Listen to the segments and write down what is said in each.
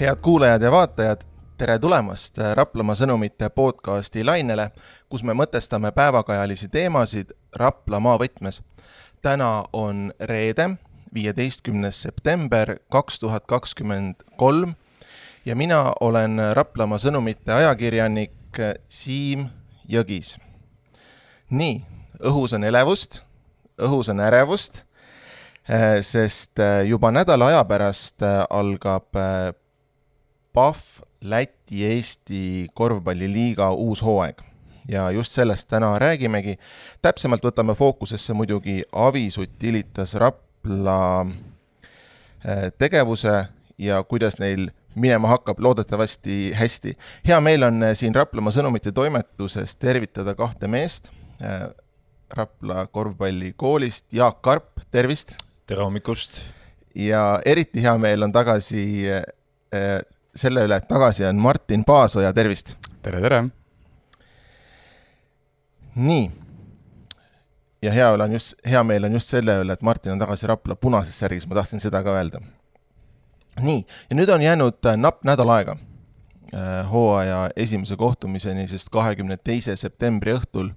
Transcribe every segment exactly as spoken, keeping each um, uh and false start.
Head kuulajad ja vaatajad, tere tulemast Raplamaa sõnumite podcasti lainele, kus me mõtestame päevakajalisi teemasid Rapla maavõtmes. Täna on reede, viieteistkümnes september kaks tuhat kakskümmend kolm ja mina olen Raplamaa sõnumite ajakirjanik Siim Jõgis. Nii, õhus on elevust, õhus on ärevust, sest juba nädala aja pärast algab P A F Läti-Eesti korvpalliliiga uus hooaeg. Ja just sellest täna räägimegi. Täpsemalt võtame fookusesse muidugi Avis Utilitas Rapla tegevuse ja kuidas neil minema hakkab loodetavasti hästi. Hea meil on siin Raplamaa sõnumite toimetuses tervitada kahte meest. Rapla korvpallikoolist Jaak Karp, tervist! Tere hommikust! Ja eriti hea meil on tagasi selle üle, et tagasi on Martin Paasoja, tervist! Tere, tere! Nii, ja hea, on just, hea meil on just selle üle, et Martin on tagasi Rapla punases särgis, ma tahtsin seda ka öelda. Nii, ja nüüd on jäänud napp nädal aega hooaja esimese kohtumiseni, sest kahekümne teise septembri õhtul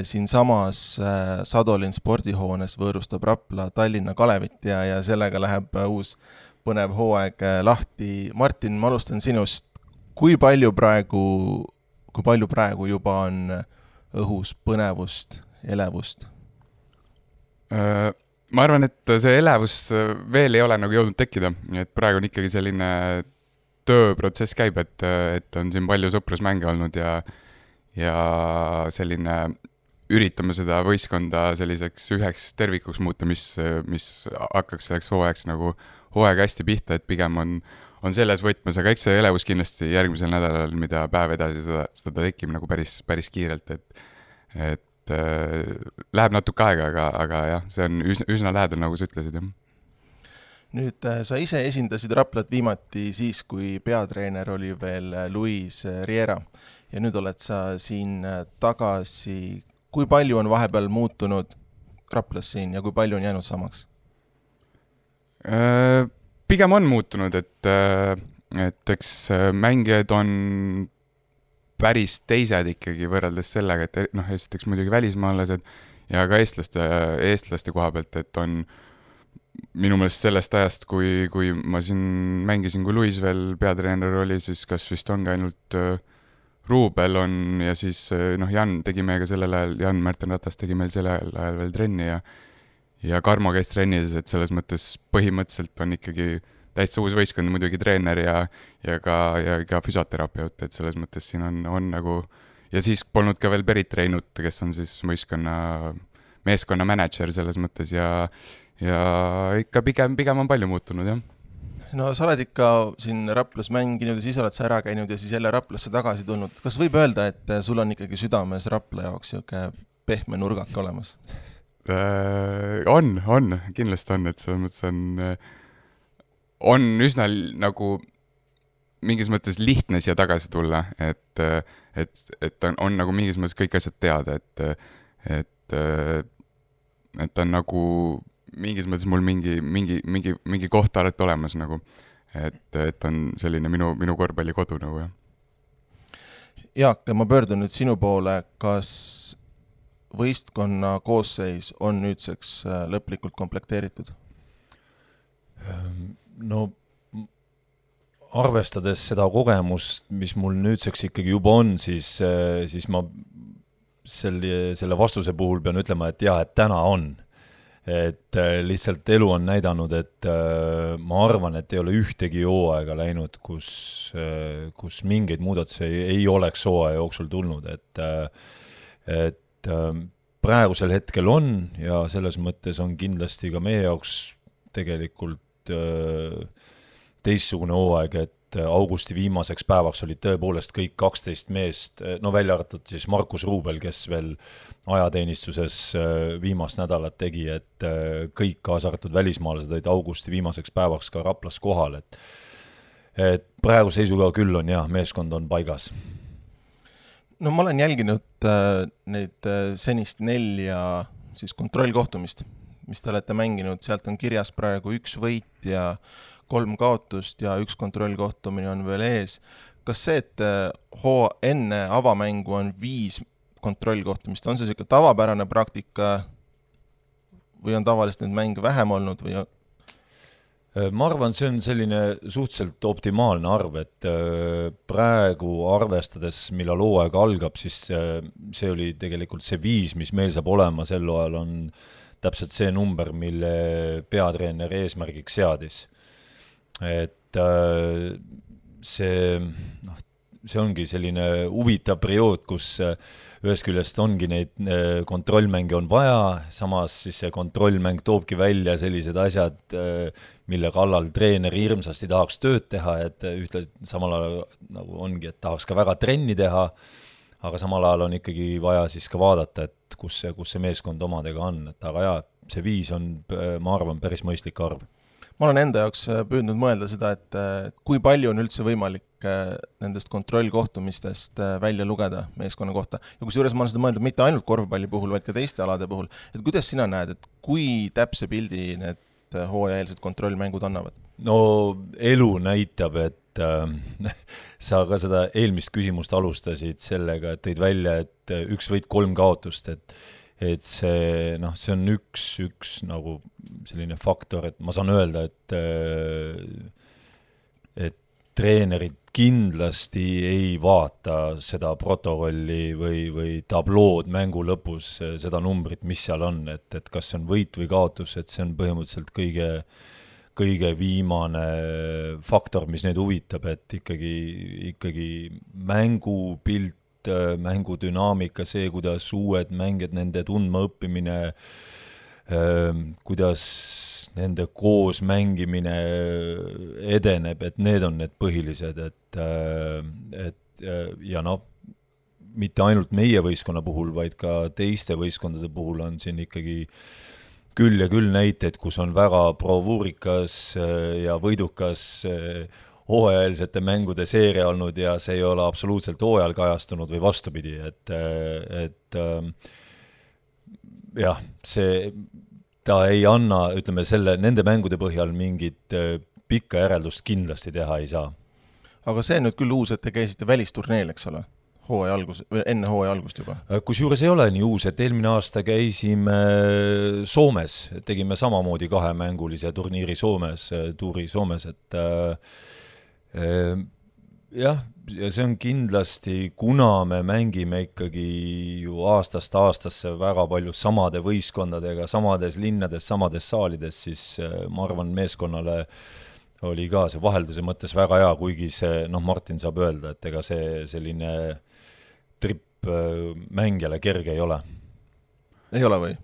siin samas Sadolin spordihoones võõrustab Rapla Tallinna Kalevit ja, ja sellega läheb uus põnev hooaeg lahti. Martin, ma alustan sinust. Kui palju praegu, kui palju praegu juba on õhus põnevust, elevust? Ma arvan, et see elevus veel ei ole nagu jõudnud tekkida. Et praegu on ikkagi selline tööprotsess käib, et, et on siin palju sõprusmänge olnud ja, ja selline üritame seda võistkonda selliseks üheks tervikuks muuta, mis, mis hakkaks selleks hooajaks nagu hooaeg hästi pihta, et pigem on, on selles võtmes, aga eks see elevus kindlasti järgmisel nädalal, mida päev edasi seda, seda tekib nagu päris, päris kiirelt, et, et äh, läheb natuke aega, aga, aga jah, see on üsna, üsna lähedal, nagu sa ütlesid. Jah. Nüüd sa ise esindasid Raplat viimati siis, kui peatreener oli veel Luis Riera ja nüüd oled sa siin tagasi. Kui palju on vahepeal muutunud Raplas siin ja kui palju on jäänud samaks? Pigem on muutunud, et, et eks mängijad on päris teised ikkagi võrreldes sellega, et noh, esiteks muidugi välismaalased ja ka eestlaste, eestlaste koha pealt, et on minu meelest sellest ajast, kui, kui ma siin mängisin, kui Luis veel peatreener oli, siis kas vist ongi ainult Ruubel on ja siis noh, Jan tegi meiega sellel ajal, Jan Märten Ratas tegi meil sellel ajal veel trenni ja ja Karmo käis trennis, et selles mõttes põhimõtteliselt on ikkagi täitsa uus võistkond, muidugi treener ja, ja, ka, ja ka füsioterapeut, et selles mõttes siin on, on nagu ja siis polnud ka veel Berit Reinut, kes on siis võistkonna meeskonna manager selles mõttes ja, ja ikka pigem, pigem on palju muutunud, jah. No sa oled ikka siin Raplas mänginud ja siis oled sa ära käinud ja siis jälle Raplasse tagasi tulnud. Kas võib öelda, et sul on ikkagi südames Rapla jaoks siuke pehme nurgak olemas? Äh, on, on, kindlasti on, et selles mõttes on, on üsna nagu mingis mõttes lihtne siia tagasi tulla, et, et, et on, on nagu mingis mõttes kõik asjad teada, et, et, et on nagu mingis mõttes mul mingi, mingi, mingi, mingi koht alati olemas nagu, et, et on selline minu, minu korvpalli kodu nagu, jah. Jaak, ma pöördun nüüd sinu poole, kas võistkonna koosseis on nüüdseks lõplikult komplekteeritud? No arvestades seda kogemust, mis mul nüüdseks ikkagi juba on, siis, siis ma selle, selle vastuse puhul pean ütlema, et jah, et täna on. Et lihtsalt elu on näidanud, et ma arvan, et ei ole ühtegi hooaega läinud, kus, kus mingeid muudatusi ei, ei oleks hooaja jooksul tulnud, et, et praegusel hetkel on ja selles mõttes on kindlasti ka meie jaoks tegelikult teistsugune hooaeg, et augusti viimaseks päevaks olid tõepoolest kõik kaksteist meest, no välja arvatud siis Markus Ruubel, kes veel ajateenistuses viimast nädalat tegi, et kõik kaasa arvatud välismaalased olid augusti viimaseks päevaks ka Raplas kohal, et, et praegu seisuga küll on jah, meeskond on paigas. No ma olen jälginud äh, neid äh, senist nelja siis kontrollkohtumist mis te olete mänginud, sealt on kirjas praegu üks võit ja kolm kaotust ja üks kontrollkohtumine on veel ees. Kas see, et hoo enne avamängu on viis kontrollkohtumist, on see selline tavapärane praktika või on tavaliselt neid mänge vähem olnud? Või... Ma arvan, see on selline suhteliselt optimaalne arv, et praegu arvestades, millal hooaeg algab, siis see oli tegelikult see viis, mis meil saab olema sel ajal, on täpselt see number, mille peatreener eesmärgiks seadis. Et see, noh, see ongi selline huvitav periood, kus ühest küljest ongi neid kontrollmänge on vaja, samas siis see kontrollmäng toobki välja sellised asjad, mille kallal treener hirmsasti tahaks tööd teha, et ühtle samal ajal nagu ongi, et tahaks ka väga trenni teha, aga samal ajal on ikkagi vaja siis ka vaadata, et kus see, kus see meeskond omadega on, et aga jah, see viis on, ma arvan, päris mõistlik arv. Ma olen enda jaoks püüdnud mõelda seda, et kui palju on üldse võimalik nendest kontrollkohtumistest välja lugeda meeskonna kohta. Ja kus juures ma olen seda mõeldud mitte ainult korvpalli puhul, vaid ka teiste alade puhul. Et kuidas sina näed, et kui täpse pildi need hooajaeelsed kontrollmängud annavad? No elu näitab, et äh, sa ka seda eelmist küsimust alustasid sellega, et tõid välja, et üks võit kolm kaotust, et et see, noh, see on üks, üks nagu selline faktor, et ma saan öelda, et et treenerid kindlasti ei vaata seda protokolli või, või tablood mängu lõpus, seda numbrit, mis seal on, et, et kas see on võit või kaotus, et see on põhimõtteliselt kõige, kõige viimane faktor, mis neid huvitab, et ikkagi, ikkagi mängupilt, mängudünaamika, see, kuidas uued mängijad, nende tundma õppimine, kuidas nende koos mängimine edeneb, et need on need põhilised, et, et ja noh, mitte ainult meie võistkonna puhul, vaid ka teiste võistkondade puhul on siin ikkagi küll ja küll näiteid, kus on väga bravuurikas ja võidukas hooajalisete mängude seeria olnud ja see ei ole absoluutselt hooajal kajastunud või vastupidi, et, et jah, see, ta ei anna, ütleme, selle, nende mängude põhjal mingit pikka järeldust kindlasti teha ei saa. Aga see on nüüd küll uus, et te käisite välisturneel, eks ole? Hooaja algus, enne hooaja algust juba? Kus juures ei ole nii uus, et eelmine aasta käisime Soomes, tegime samamoodi kahemängulise turniiri Soomes, tuuri Soomes, et jah, ja see on kindlasti, kuna me mängime ikkagi ju aastast aastasse väga palju samade võistkondadega, samades linnades, samades saalides, siis ma arvan, meeskonnale oli ka see vahelduse mõttes väga hea, kuigi see, noh, Martin saab öelda, et ega see selline trip mängijale kerge ei ole. Ei ole või?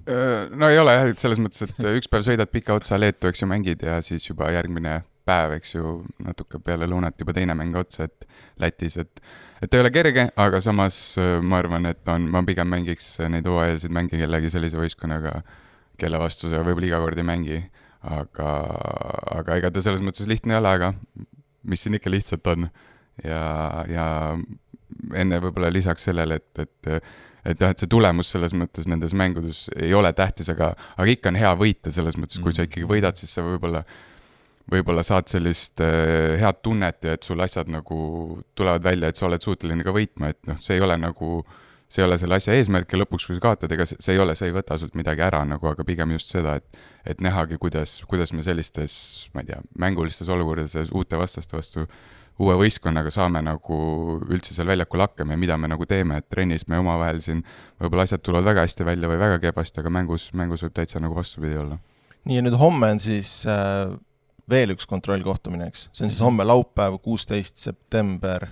No ei ole jah, et selles mõttes, et üks päev sõidad pika otsa Leetu, eks ju mängid ja siis juba järgmine päev, eks ju, natuke peale lõunat juba teine mäng otsa, et Lätis, et, et ei ole kerge, aga samas ma arvan, et on, ma pigem mängiks neid hooajalisi mängi kellegi sellise võistkonnaga, kelle vastu see võib-olla iga kord ei mängi, aga, aga ega ta selles mõttes lihtne ei ole, aga mis siin ikka lihtsalt on. Ja, ja enne võib-olla lisaks sellele, et, et, et, et see tulemus selles mõttes nendes mängudes ei ole tähtis, aga, aga ikka on hea võita selles mõttes, kui sa ikkagi võidad, siis sa võib-olla võib-olla saad sellist äh, head tunnet ja et sul asjad nagu tulevad välja, et sa oled suuteline ka võitma, et noh, see ei ole nagu, see ei ole selle asja eesmärk ja lõpuks, kui sa kaotad, ega see ei ole, see ei võta sult midagi ära nagu, aga pigem just seda, et, et nähagi, kuidas, kuidas me sellistes, ma ei tea, mängulistes olukordades uute vastaste vastu uue võistkonnaga saame nagu üldse seal väljakul hakkama ja mida me nagu teeme, et trennis me omavahel siin võib-olla asjad tulevad väga hästi välja või väga kehvasti, aga mängus, mängus võib täitsa nagu vastupidi olla. Nii ja nüüd homme on siis äh... veel üks kontrollkohtumine, eks? See on siis homme laupäev, kuusteist september.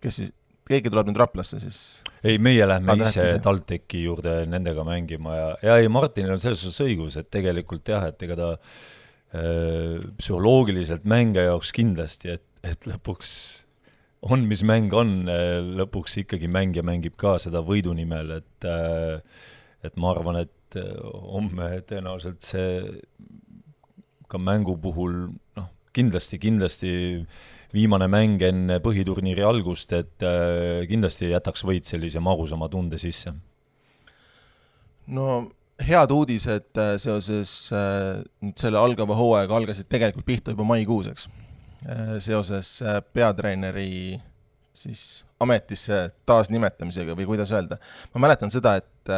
Kes siis, keegi tuleb nüüd Raplasse siis? Ei, meie lähme ah, ise TalTechi juurde nendega mängima ja, ja ei, Martinil on selles suhtes õigus, et tegelikult jah, et ega ta äh, psühholoogiliselt mänge jaoks kindlasti, et, et lõpuks on, mis mäng on, lõpuks ikkagi mängija mängib ka seda võidu nimel, et, äh, et ma arvan, et homme tõenäoliselt see ka mängu puhul, noh, kindlasti, kindlasti viimane mäng enne põhiturniiri algust, et kindlasti jätaks võit sellise magusama tunde sisse. No head uudised seoses nüüd selle algava hooaega algasid tegelikult pihta juba maikuuseks. Seoses peatreeneri siis ametisse taasnimetamisega või kuidas öelda. Ma mäletan seda, et,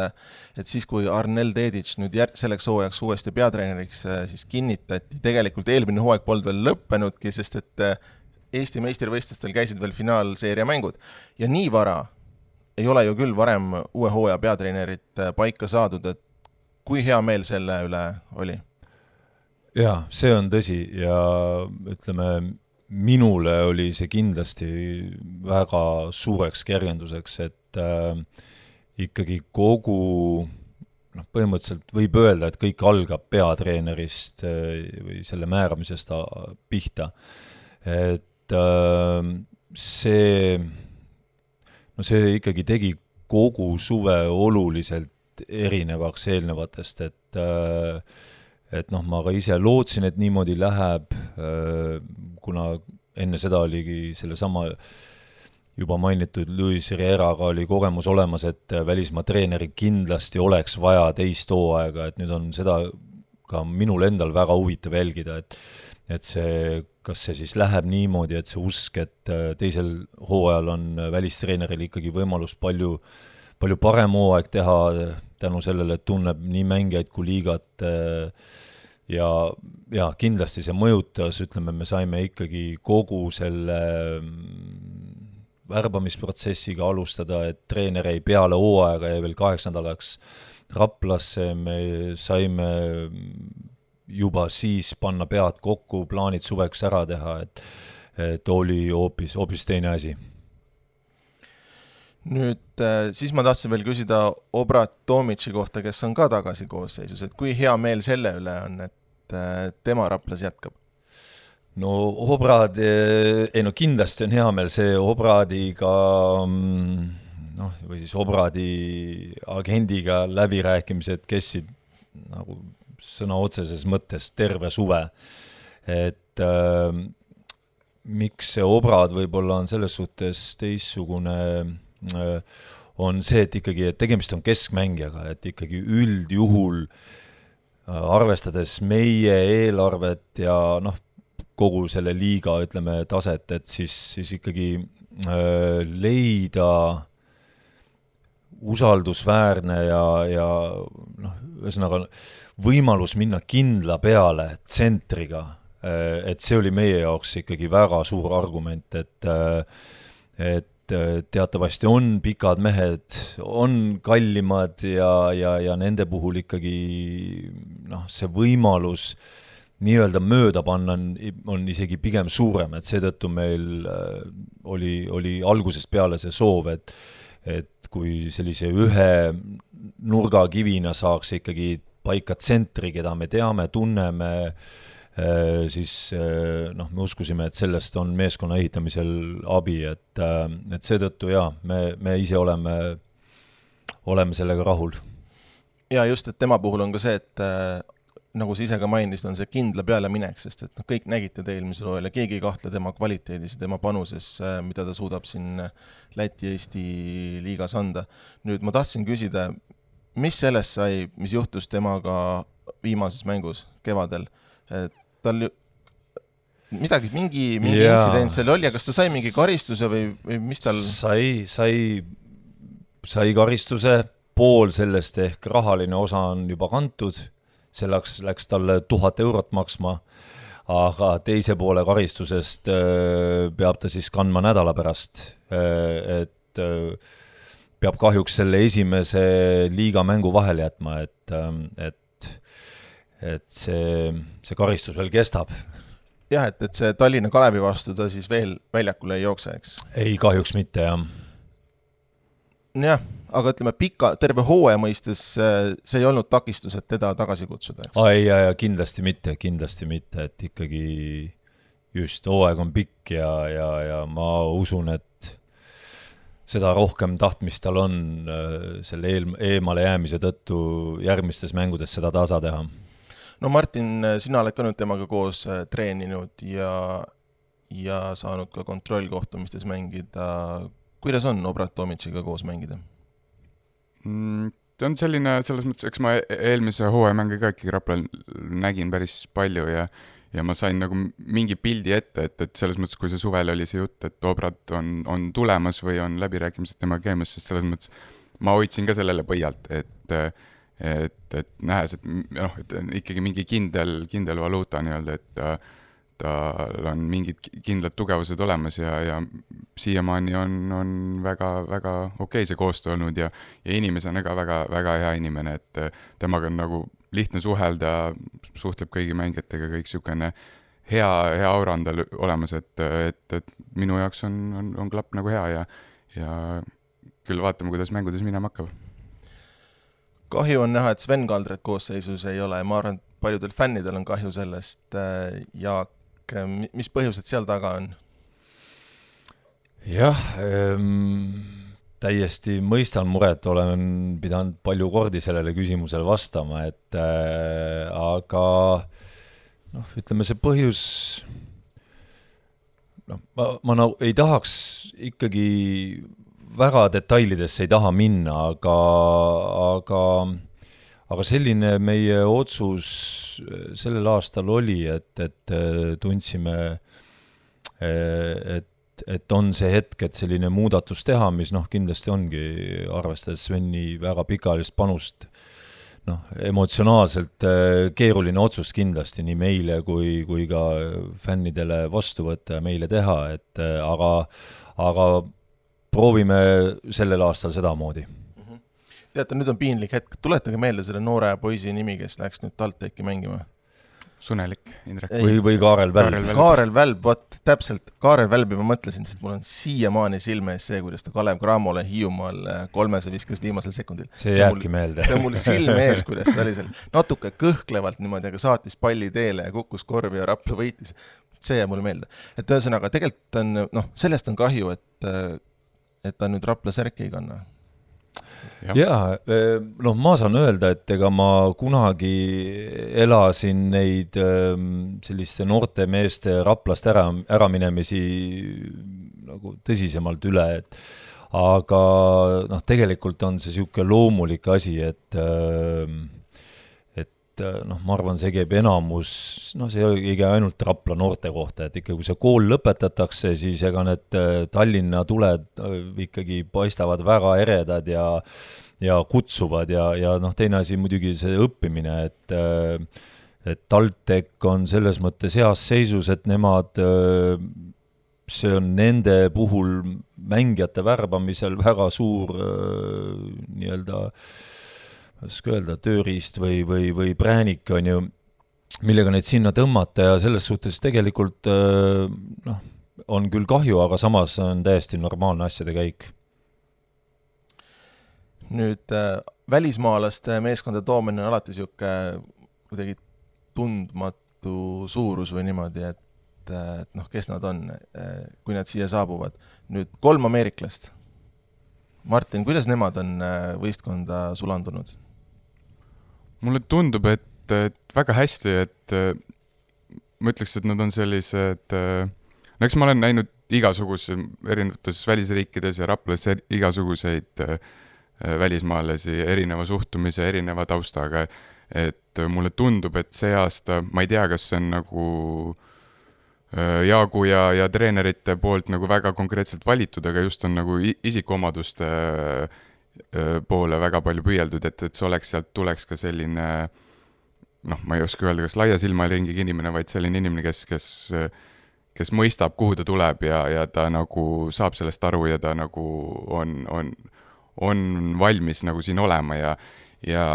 et siis kui Arnel Dedic nüüd jär, selleks hooajaks uuesti peatreeneriks siis kinnitati, tegelikult eelmine hooaeg polnud veel lõppenudki, sest et Eesti meistrivõistlustel käisid veel finaalseeria mängud. Ja nii vara ei ole ju küll varem uue hooaja peatreenerit paika saadud, et kui hea meel selle üle oli? Jaa, see on tõsi ja ütleme, minule oli see kindlasti väga suureks kergenduseks, et äh, ikkagi kogu, noh, põhimõtteliselt võib öelda, et kõik algab peatreenerist äh, või selle määramisest pihta. Et äh, see, no see ikkagi tegi kogu suve oluliselt erinevaks eelnevatest, et äh, et noh, ma ka ise lootsin, et niimoodi läheb, kuna enne seda oligi selle sama juba mainitud Luis Rieraga oli kogemus olemas, et välismaa treeneri kindlasti oleks vaja teist hooaega, et nüüd on seda ka minul endal väga huvitav jälgida, et, et see, kas see siis läheb niimoodi, et see usk, et teisel hooajal on välistreeneril ikkagi võimalus palju, palju parem hooaeg teha tänu sellele, et tunneb nii mängijaid kui liigat ja, ja kindlasti see mõjutas, ütleme, me saime ikkagi kogu selle värbamisprotsessiga alustada, et treener ei peale hooaega ja veel kaheksandalaks Raplasse, me saime juba siis panna pead kokku, plaanid suveks ära teha, et, et oli hoopis, hoopis teine asi. Nüüd siis ma tahtsin veel küsida Obrat Tomici kohta, kes on ka tagasi koosseisus, et kui hea meel selle üle on, et tema Raplas jätkab? No Obrad, ei no kindlasti on hea meel see Obradiga, noh, või siis Obradi agendiga läbirääkimised kestsid nagu sõna otseses mõttes terve suve, et äh, miks see Obrad võib-olla on selles suhtes teissugune on see, et ikkagi et tegemist on keskmängijaga, et ikkagi üldjuhul arvestades meie eelarvet ja noh, kogu selle liiga, ütleme, taset, et siis, siis ikkagi äh, leida usaldusväärne ja, ja noh, ühesõnaga võimalus minna kindla peale tsentriga, äh, et see oli meie jaoks ikkagi väga suur argument, et äh, et teatavasti on pikad mehed, on kallimad ja, ja, ja nende puhul ikkagi noh, see võimalus nii-öelda mööda panna on, on isegi pigem suurem, et seetõttu meil oli, oli algusest peale see soov, et, et kui sellise ühe nurgakivina saaks ikkagi paika tsentri, keda me teame, tunneme, siis noh, me uskusime, et sellest on meeskonna ehitamisel abi, et, et seetõttu jaa, me, me ise oleme, oleme sellega rahul. Ja just, et tema puhul on ka see, et nagu sa ise ka mainisid, on see kindla peale minek, sest et no, kõik nägite te eelmisel hooajal ja keegi ei kahtle tema kvaliteedis ja tema panuses, mida ta suudab siin Läti-Eesti liigas anda. Nüüd ma tahtsin küsida, mis sellest sai, mis juhtus temaga viimases mängus kevadel, et tal midagi, mingi, mingi ja. Intsident seal oli, ja kas ta sai mingi karistuse või, või mis tal? Sai, sai, sai karistuse, pool sellest ehk rahaline osa on juba kantud, selleks läks talle tuhat eurot maksma, aga teise poole karistusest peab ta siis kandma nädala pärast, et peab kahjuks selle esimese liiga mängu vahel jätma, et, et et see, see karistus veel kestab. Jah, et, et see Tallinna Kalevi vastu ta siis veel väljakule ei jookse, eks? Ei, kahjuks mitte, jah. Jah, aga ütleme, pika, terve hooaja mõistes see ei olnud takistus, et teda tagasi kutsuda, eks? Ei, ja, ja kindlasti mitte, kindlasti mitte, et ikkagi just hooaeg on pikk ja, ja, ja ma usun, et seda rohkem tahtmist tal on selle eel, eemale jäämise tõttu järgmistes mängudes seda tasa teha. No Martin, sina oled ka nüüd temaga koos treeninud ja, ja saanud ka kontrollkohtumistes mängida. Kuidas on Obrat Tomiciga koos mängida? Mm, on selline, selles mõttes, eks ma eelmise hooajamänge ka ikkagi Raplal nägin päris palju ja ja ma sain nagu mingi pildi ette, et, et selles mõttes, kui see suvel oli see jutt, et Obrad on, on tulemas või on läbirääkimised tema käimas, sest selles mõttes ma hoidsin ka sellele põhjalt, et, et, et nähes, et, noh, et ikkagi mingi kindel, kindel valuuta nii-öelda, et ta, tal on mingid kindlad tugevused olemas ja, ja siiamaani on, on väga, väga okei see koostöö olnud ja, ja inimesena ka väga, väga hea inimene, et temaga on nagu lihtne suhelda, suhtleb kõigi mängijatega, kõik sükene hea, hea aura on tal olemas, et, et, et minu jaoks on, on, on klapp nagu hea ja, ja küll vaatame, kuidas mängudes minema hakkab. Kahju on näha, et Sven Kaldret koosseisus ei ole, ma arvan, et paljudel fännidel on kahju sellest. Jaak, mis põhjused seal taga on? Jah, ähm... täiesti mõistan muret, olen pidanud palju kordi sellele küsimusele vastama, et äh, aga noh, ütleme see põhjus, noh, ma, ma nagu ei tahaks ikkagi väga detailidesse ei taha minna, aga, aga, aga selline meie otsus sellel aastal oli, et, et tundsime, et et on see hetk, et selline muudatus teha, mis noh, kindlasti ongi arvestades Sveni väga pikaajalist panust, noh, emotsionaalselt keeruline otsus kindlasti nii meile kui, kui ka fännidele vastu võtta ja meile teha, et aga, aga proovime sellel aastal sedamoodi. Teate, nüüd on piinlik hetk. Tuletage meelde selle noore poisi nimi, kes läks nüüd TalTechi mängima. Sunelik, Indrek. Või, või Kaarel Välb. Kaarel Välb, võt, täpselt. Kaarel Välbi ma mõtlesin, sest mul on siiamaani silme ees see, kuidas ta Kalev Cramole Hiiumaal kolmese viskas viimasel sekundil. See, see jääbki mul, meelde. See on mul silme ees, kuidas ta oli seal natuke kõhklevalt niimoodi, aga saatis palli teele ja kukkus korvi ja Rapla võitis. See jääb mulle meelde. Et ühesõnaga, tegelikult on, noh, sellest on kahju, et, et ta nüüd Rapla särki ei kanna. Jaa, noh, ma saan öelda, et ega ma kunagi elasin neid selliste noorte meeste Raplast ära, ära minemisi nagu tõsisemalt üle, et aga noh, tegelikult on see siuke loomulik asi, et et noh, ma arvan, see käib enamus, noh, see ei käi ainult Rapla noorte kohta, et ikka kui see kool lõpetatakse, siis ega need Tallinna tuled ikkagi paistavad väga eredad ja, ja kutsuvad ja, ja noh, teine asi muidugi see õppimine, et, et TalTech on selles mõttes heas seisus, et nemad, see on nende puhul mängijate värbamisel väga suur nii-öelda oska öelda, tööriist või, või, või präänik on ju, millega neid sinna tõmmata ja selles suhtes tegelikult noh, on küll kahju, aga samas on täiesti normaalne asjade käik. Nüüd äh, välismaalaste meeskonda toomine on alati siuke kuidagi tundmatu suurus või niimoodi, et, et noh, kes nad on, kui nad siia saabuvad. Nüüd kolm ameeriklast. Martin, kuidas nemad on võistkonda sulandunud? Mulle tundub, et, et väga hästi, et ma ütleks, et nad on sellised, no eks ma olen näinud igasuguse erinevates välisriikides ja Raplas igasuguseid välismaalasi, erineva suhtumise, erineva taustaga, et mulle tundub, et see aasta, ma ei tea, kas see on nagu Jaagu ja, ja treenerite poolt nagu väga konkreetselt valitud, aga just on nagu isikuomaduste poole väga palju püüeldud, et, et see oleks, sealt tuleks ka selline, noh, ma ei oska öelda, kas laia silmaringiga inimene, vaid selline inimene, kes, kes, kes mõistab, kuhu ta tuleb ja, ja ta nagu saab sellest aru ja ta nagu on, on, on valmis nagu siin olema ja, ja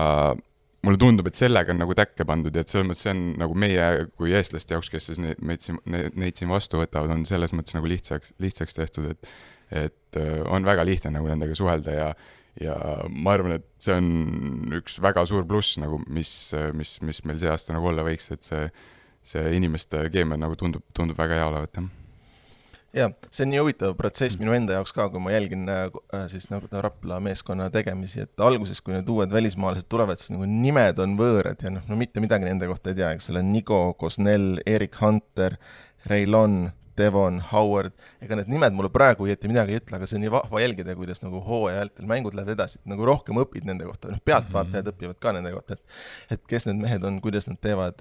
mulle tundub, et sellega on nagu täkke pandud ja et selles mõttes see on nagu meie kui eestlaste jaoks, kes siis neid, neid, neid, neid siin vastu võtavad, on selles mõttes nagu lihtsaks, lihtsaks tehtud, et, et on väga lihtne nagu nendega suhelda ja, ja ma arvan, et see on üks väga suur pluss, nagu, mis, mis, mis meil see aasta nagu olla võiks, et see, see inimeste keemia nagu tundub, tundub väga hea olevat. Ja, see on nii huvitav protsess minu enda jaoks ka, kui ma jälgin siis nagu Rapla meeskonna tegemisi, et alguses, kui need uued välismaalased tulevad, siis nagu nimed on võõrad ja noh, no mitte midagi nende kohta ei tea, eks ole, Nigo, Kosnel, Erik Hunter, Reilon, Devon, Howard, ega need nimed mulle praegu ei jätti midagi ei ütle, aga see on nii vahva jälgida, kuidas nagu hooaja vältel mängud lähevad edasi, nagu rohkem õpid nende kohta, noh pealtvaatajad mm-hmm. õpivad ka nende kohta, et, et kes need mehed on, kuidas nad teevad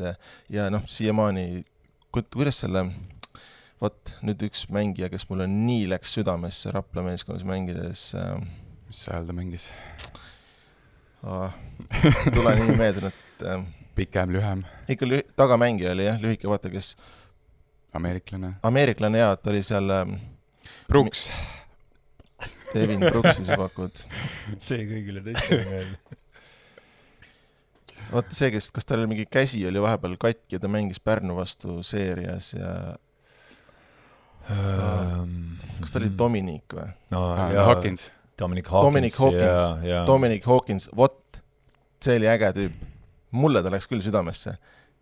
ja noh, siiamaani, kuidas selle, vot nüüd üks mängija, kes mulle nii läks südamesse Rapla meeskonnas mängides. Mis ajal ta mängis? Ah, tule nii meeldin, et pikem, lühem. Ikka lüh- tagamängija oli jah, lühike vaata, kes Ameeriklane. Ameeriklane jah, et oli seal Brooks. Devin Brooksi sa pakud. See kõigile teistele meelde. Vaata see, kes, kas tal mingi käsi oli vahepeal katki ja ta mängis Pärnu vastu seerias ja um, kas ta oli Dominic või? No, ah, ja, Hawkins. Dominic Hawkins. Dominic Hawkins. Ja, ja. Dominic Hawkins, vot, see oli äge tüüp. Mulle ta läks küll südamesse.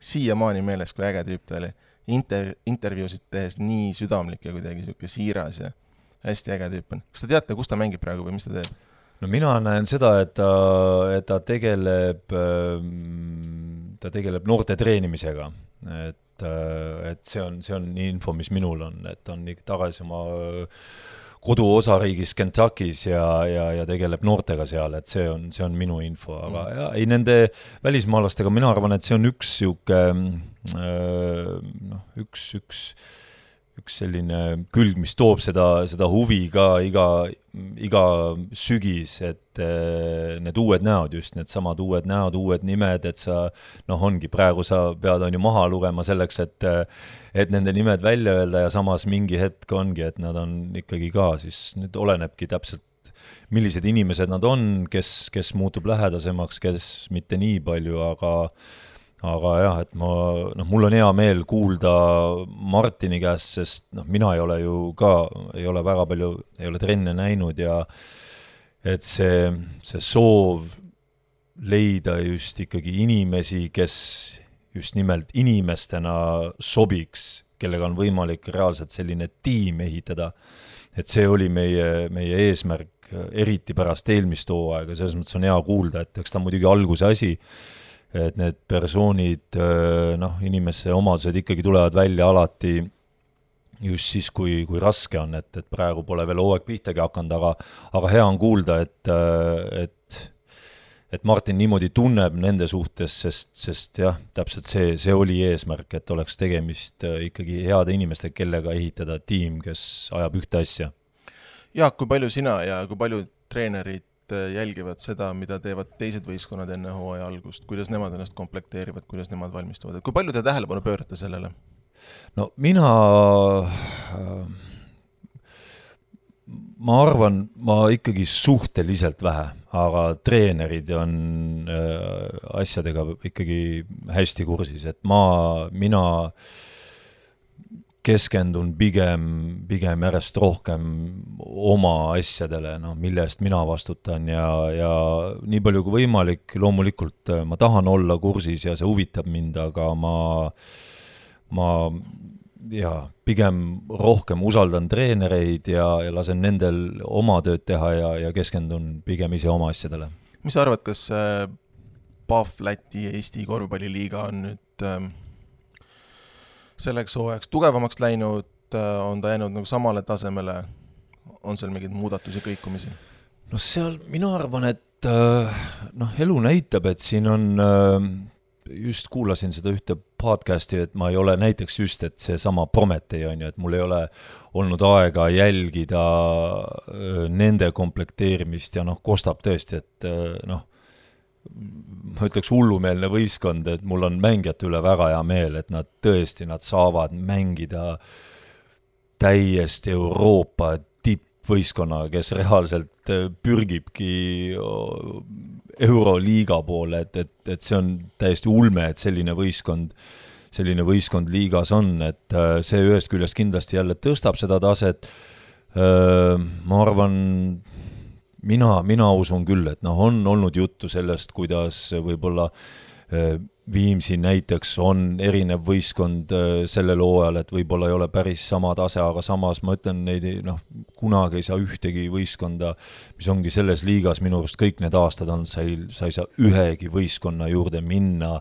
Siiamaani meeles, kui äge tüüp ta oli. Inter- intervjuusid tehes nii südamlik ja kuidagi siuke siiras ja hästi äge tüüp on. Kas ta teate, kus ta mängib praegu või mis ta teeb? No mina näen seda, et ta, et ta tegeleb, ta tegeleb noorte treenimisega. Et, et see on, see on info, mis minul on, et on tagasi oma koduosariigis Kentuckys ja, ja, ja tegeleb noortega seal, et see on, see on minu info, aga mm. ja, ei nende välismaalastega, mina arvan, et see on üks siuke, noh, üks, üks, üks selline külg, mis toob seda, seda huvi ka iga, iga sügis, et need uued näod, just need samad uued näod, uued nimed, et sa, noh, ongi praegu sa pead on ju maha lugema selleks, et, et nende nimed välja öelda ja samas mingi hetk ongi, et nad on ikkagi ka, siis nüüd olenebki täpselt, millised inimesed nad on, kes, kes muutub lähedasemaks, kes mitte nii palju, aga aga jah, et ma, noh, mul on hea meel kuulda Martini käest, sest noh, mina ei ole ju ka, ei ole väga palju, ei ole trenne näinud ja et see, see soov leida just ikkagi inimesi, kes just nimelt inimestena sobiks, kellega on võimalik reaalselt selline tiim ehitada, et see oli meie, meie eesmärk, eriti pärast eelmist hooaega, selles mõttes on hea kuulda, et eks ta muidugi alguse asi, et need persoonid, noh, inimese omadused ikkagi tulevad välja alati just siis, kui, kui raske on, et, et praegu pole veel hooaeg pihtagi hakanud, aga, aga hea on kuulda, et, et, et Martin niimoodi tunneb nende suhtes, sest, sest jah, täpselt see, see oli eesmärk, et oleks tegemist ikkagi heade inimeste, kellega ehitada tiim, kes ajab ühte asja. Jaak, kui palju sina ja kui palju treenerid jälgivad seda, mida teevad teised võistkonnad enne hooaja algust, kuidas nemad ennast komplekteerivad, kuidas nemad valmistuvad, kui palju te tähelepanu pöörate sellele? No mina, ma arvan, ma ikkagi suhteliselt vähe, aga treenerid on asjadega ikkagi hästi kursis, et ma, mina keskendun pigem, pigem järjest rohkem oma asjadele, no, mille eest mina vastutan ja, ja nii palju kui võimalik, loomulikult ma tahan olla kursis ja see huvitab mind, aga ma, ma ja, pigem rohkem usaldan treenereid ja, ja lasen nendel oma tööd teha ja, ja keskendun pigem ise oma asjadele. Mis sa arvad, kas P A F Läti Eesti korvpalliliiga on nüüd ähm... selleks hooajaks tugevamaks läinud, on ta jäänud nagu samale tasemele, on seal mingeid muudatusi, kõikumisi? No seal, mina arvan, et noh, elu näitab, et siin on, just kuulasin seda ühte podcasti, et ma ei ole näiteks just, et see sama Prometee on ju, et mul ei ole olnud aega jälgida nende komplekteerimist ja noh, kostab tõesti, et noh, ma ütleks hullumeelne võistkond, et mul on mängijate üle väga hea meel, et nad tõesti, nad saavad mängida täiesti Euroopa tippvõistkonnaga, kes reaalselt pürgibki Euroliiga poole, et, et, et see on täiesti ulme, et selline võistkond, selline võistkond liigas on, et see ühest küljest kindlasti jälle tõstab seda taset. Ma arvan, Mina, mina usun küll, et noh, on olnud juttu sellest, kuidas võib-olla Viimsi näiteks on erinev võistkond sellel hooajal, et võib-olla ei ole päris sama tase, aga samas ma ütlen, neid noh, kunagi ei saa ühtegi võistkonda, mis ongi selles liigas, minu arust kõik need aastad on, sa ei, sa ei saa ühegi võistkonna juurde minna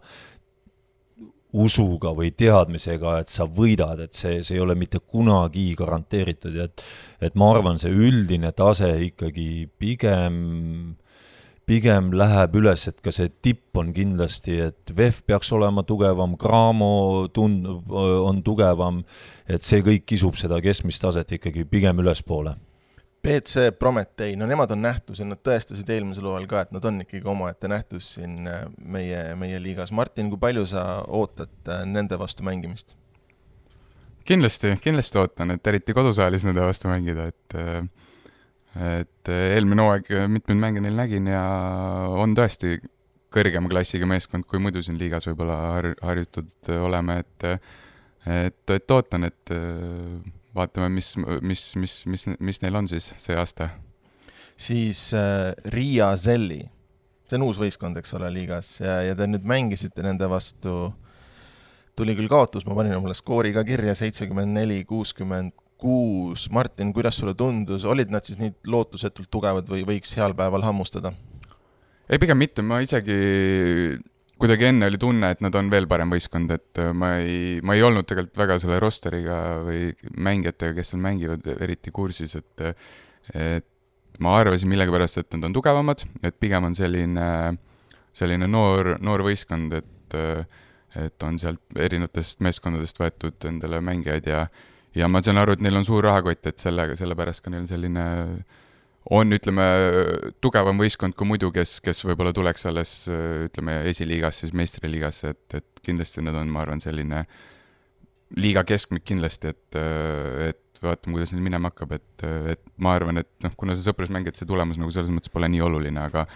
usuga või teadmisega, et sa võidad, et see, see ei ole mitte kunagi garanteeritud ja et, et ma arvan, see üldine tase ikkagi pigem, pigem läheb üles, et ka see tipp on kindlasti, et V E F peaks olema tugevam, Graamo tund, on tugevam, et see kõik kisub seda keskmist taset ikkagi pigem ülespoole. B C Prometee, no nemad on nähtus ja nad tõestasid eelmisel hooajal ka, et nad on ikkagi omaette nähtus siin meie, meie liigas. Martin, kui palju sa ootad nende vastu mängimist? Kindlasti, kindlasti ootan, et eriti kodusaalis nende vastu mängida, et, et eelmine hooaeg mitmed mänge neil nägin ja on tõesti kõrgema klassiga meeskond, kui muidu siin liigas võib-olla har- harjutud oleme, et, et, et ootan, et vaatame, mis, mis, mis, mis, mis neil on siis see aasta. Siis äh, Riia Zelli, see on uus võistkond, eks ole, liigas ja, ja te nüüd mängisite nende vastu, tuli küll kaotus, ma panin omale skoori ka kirja, seitsekümmend neli kuuskümmend kuus. Martin, kuidas sulle tundus, olid nad siis nii lootusetult tugevad või võiks heal päeval hammustada? Ei, pigem mitte, ma isegi kuidagi enne oli tunne, et nad on veel parem võistkond, et ma ei, ma ei olnud tegelikult väga selle rosteriga või mängijatega, kes seal mängivad eriti kursis, et, et ma arvasin millegipärast, et nad on tugevamad, et pigem on selline, selline noor, noor võistkond, et, et on sealt erinevatest meeskondadest võetud endale mängijaid ja, ja ma saan aru, et neil on suur rahakott, et sellega, sellepärast ka neil selline on, ütleme, tugevam võistkond kui muidu, kes, kes võib-olla tuleks alles, ütleme, esiliigas, siis meistriliigas, et, et kindlasti nad on, ma arvan, selline liiga keskmik kindlasti, et, et vaatame, kuidas neil minema hakkab, et, et ma arvan, et noh, kuna see sõprusmäng, et see tulemus nagu selles mõttes pole nii oluline, aga,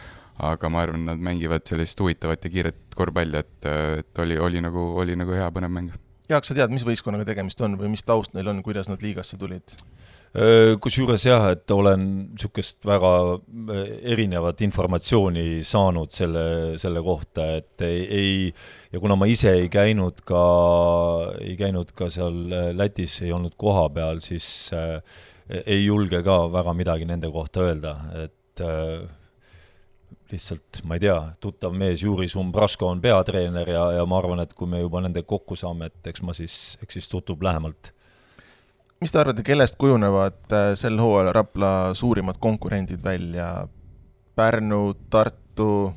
aga ma arvan, nad mängivad sellist huvitavat ja kiiret korvpalli, et, et oli, oli, nagu, oli nagu hea põnev mäng. Jaak, sa tead, mis võistkonnaga tegemist on või mis taust neil on, kuidas nad liigasse tulid? Kusjuures jah, et olen niisugust väga erinevat informatsiooni saanud selle, selle kohta, et ei, ei, ja kuna ma ise ei käinud ka, ei käinud ka seal Lätis, ei olnud koha peal, siis äh, ei julge ka väga midagi nende kohta öelda, et äh, lihtsalt, ma ei tea, tuttav mees Juris Umbrasko on peatreener ja, ja ma arvan, et kui me juba nende kokku saame, et eks ma siis, eks siis tutub lähemalt. Mis te arvate, kellest kujunevad sel hooajal Rapla suurimad konkurendid välja? Pärnu, Tartu?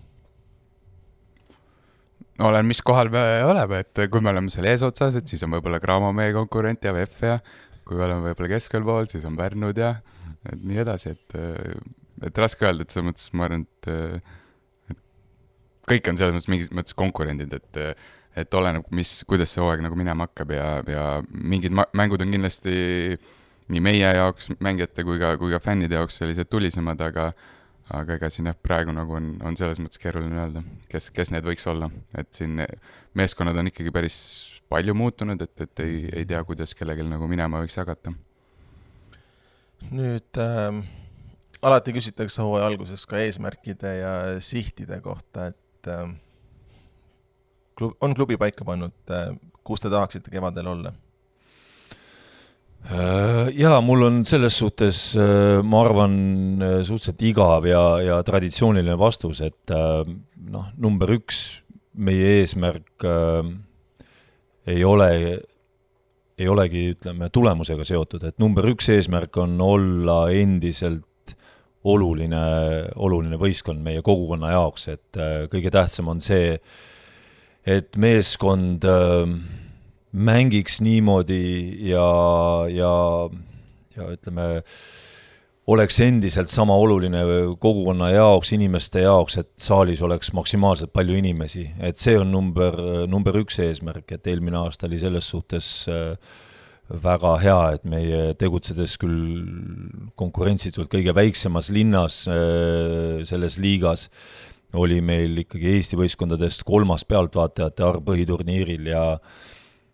Olen, mis kohal me oleme, et kui me oleme seal eesotsas, et siis on võib-olla Graamo meie konkurent ja V E F ja kui oleme võib-olla keskel pool, siis on Pärnud ja et nii edasi, et, et raske öelda, et selles mõttes ma arvan, et, et kõik on selles mõttes mingis mõttes konkurendid, et et oleneb, mis, kuidas see hooaeg nagu minema hakkab ja, ja mingid ma- mängud on kindlasti nii meie jaoks mängijate kui ka, kui ka fännide jaoks sellised tulisemad, aga, aga ega siin jah, praegu nagu on, on selles mõttes keeruline öelda, kes, kes need võiks olla. Et siin meeskonnad on ikkagi päris palju muutunud, et, et ei, ei tea, kuidas kellelgi nagu minema võiks jagata. Nüüd äh, alati küsitakse hooaja alguses ka eesmärkide ja sihtide kohta, et äh, on klubi paika pannud, kus te tahaksite kevadel olla? Jaa, mul on selles suhtes, ma arvan, suhteliselt igav ja, ja traditsiooniline vastus, et noh, number üks, meie eesmärk ei ole, ei olegi, ütleme, tulemusega seotud, et number üks eesmärk on olla endiselt oluline, oluline võistkond meie kogukonna jaoks, et kõige tähtsam on see, et meeskond äh, mängiks niimoodi ja, ja, ja ütleme, oleks endiselt sama oluline kogukonna jaoks, inimeste jaoks, et saalis oleks maksimaalselt palju inimesi. Et see on number, number üks eesmärk, et eelmine aasta oli selles suhtes äh, väga hea, et meie tegutsedes küll konkurentsitult kõige väiksemas linnas äh, selles liigas, oli meil ikkagi Eesti võistkondadest kolmas pealtvaatajate arv põhiturniiril ja,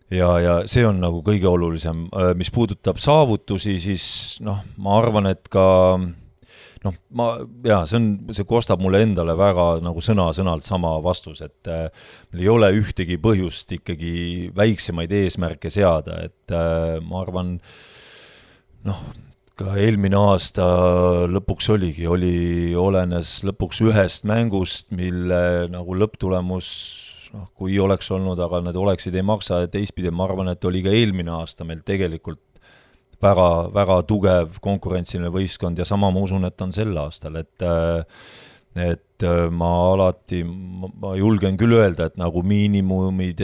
ja, ja see on nagu kõige olulisem. Mis puudutab saavutusi, siis noh, ma arvan, et ka noh, ma, jaa, see, on, see kostab mulle endale väga nagu sõna-sõnalt sama vastus, et äh, meil ei ole ühtegi põhjust ikkagi väiksemaid eesmärke seada, et äh, ma arvan, noh, ka eelmine aasta lõpuks oligi, oli olenes lõpuks ühest mängust, mille nagu lõpptulemus noh, kui oleks olnud, aga need oleksid ei maksa, et teistpidi ma arvan, et oli ka eelmine aasta meil tegelikult väga, väga tugev konkurentsiline võistkond ja sama ma usun, et on sel aastal, et et ma alati, ma julgen küll öelda, et nagu miinimumid,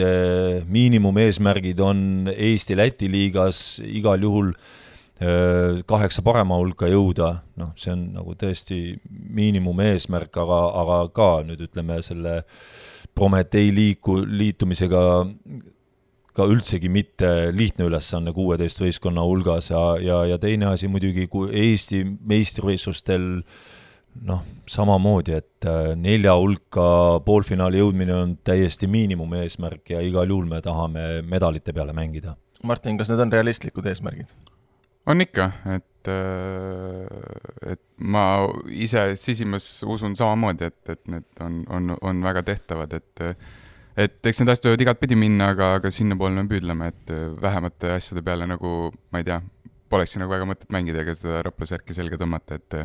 miinimum eesmärgid on Eesti-Läti liigas igal juhul kaheksa parema hulka jõuda, noh, see on nagu tõesti miinimum eesmärk, aga, aga ka nüüd ütleme selle Prometei liiku, liitumisega ka üldsegi mitte lihtne ülesanne kuueteist võistkonna hulgas ja, ja, ja teine asi muidugi, kui Eesti meistrivõistlustel noh, samamoodi, et nelja hulka poolfinaali jõudmine on täiesti miinimum eesmärk ja igal juhul me tahame medalite peale mängida. Martin, kas need on realistlikud eesmärgid? On ikka, et, et ma ise sisimas usun samamoodi, et, et need on, on, on väga tehtavad, et et eks need asjad võivad igat pidi minna, aga, aga sinna poole me püüdleme, et vähemate asjade peale nagu, ma ei tea, poleks nagu väga mõtet mängida ega seda Raplasärki selga tõmmata, et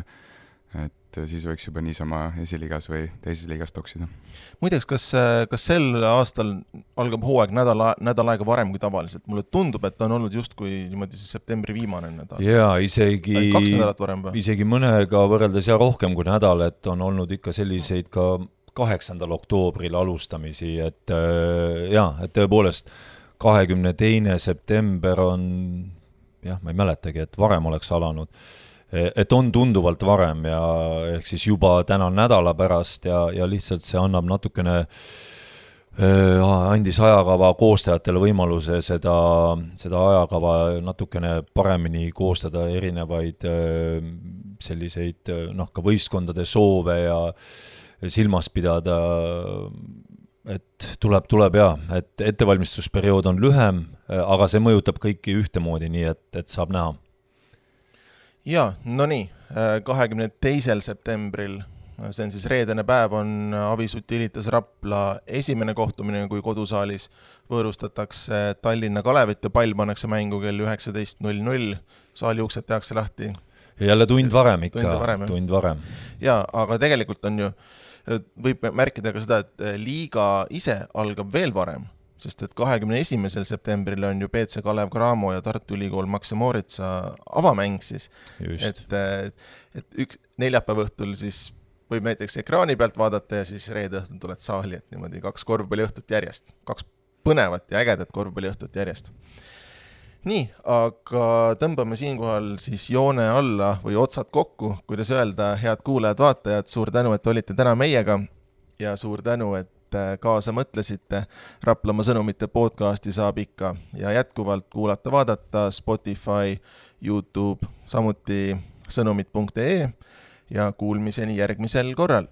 et siis võiks juba niisama esiliigas või teises liigas toksida. Muideks, kas, kas sel aastal algab hooaeg nädal, nädal aega varem kui tavaliselt? Mulle tundub, et on olnud just kui niimoodi siis septembri viimane nädal. Jaa, isegi, kaks nädalat varem või? Isegi mõnega võrreldes ja rohkem kui nädal, et on olnud ikka selliseid ka kaheksandal oktoobril alustamisi, et jah, et tõepoolest kahekümne teine september on, jah, ma ei mäletagi, et varem oleks alanud, et on tunduvalt varem ja ehk siis juba täna nädala pärast ja, ja lihtsalt see annab natukene, andis ajakava koostajatele võimaluse seda, seda ajakava natukene paremini koostada erinevaid selliseid, noh, ka võistkondade soove ja silmas pidada, et tuleb, tuleb ja, et ettevalmistusperiood on lühem, aga see mõjutab kõiki ühtemoodi, nii et, et saab näha. Jaa, no nii, kahekümne teisel septembril, see on siis reedene päev, on Avis Utilitas Rapla esimene kohtumine, kui kodusaalis võõrustatakse Tallinna Kalevit ja pall pannakse mängu kell üheksateist null null, saali uksed tehakse lahti. Jälle tund varem ikka, tund varem. Tund varem. Jaa, aga tegelikult on ju, võib märkida ka seda, et liiga ise algab veel varem, sest et kahekümne esimesel septembril on ju P C Kalev Cramo ja Tartu Ülikool Max Moritsa avamäng siis. Just. Et, et üks neljapäeva õhtul siis võib näiteks ekraani pealt vaadata ja siis reede õhtul tuled saali, et niimoodi kaks korvpalli õhtut järjest. Kaks põnevat ja ägedat korvpalli õhtut järjest. Nii, aga tõmbame siinkohal siis joone alla või otsad kokku, kuidas öelda, head kuulajad, vaatajad, suur tänu, et olite täna meiega ja suur tänu, et kaasa mõtlesite. Raplamaa sõnumite podcasti saab ikka ja jätkuvalt kuulata, vaadata Spotify, YouTube, samuti sõnumid punkt ee ja kuulmiseni järgmisel korral.